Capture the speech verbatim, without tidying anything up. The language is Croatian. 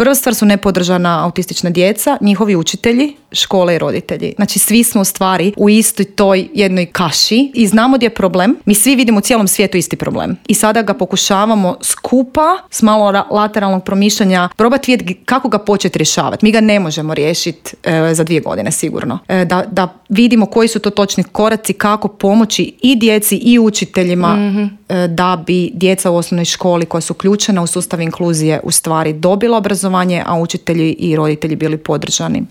Prva stvar su nepodržana autistična djeca, njihovi učitelji, škole i roditelji. Znači svi smo u stvari u istoj toj jednoj kaši i znamo gdje je problem. Mi svi vidimo u cijelom svijetu isti problem. I sada ga pokušavamo skupa s malo lateralnog promišljanja probati vidjeti kako ga početi rješavati. Mi ga ne možemo riješiti e, za dvije godine sigurno. E, da, da vidimo koji su to točni koraci, kako pomoći i djeci i učiteljima mm-hmm. e, da bi djeca u osnovnoj školi koja su uključena u sustav inkluzije u stvari dobila obrazovanje, a učitelji i roditelji bili podržani.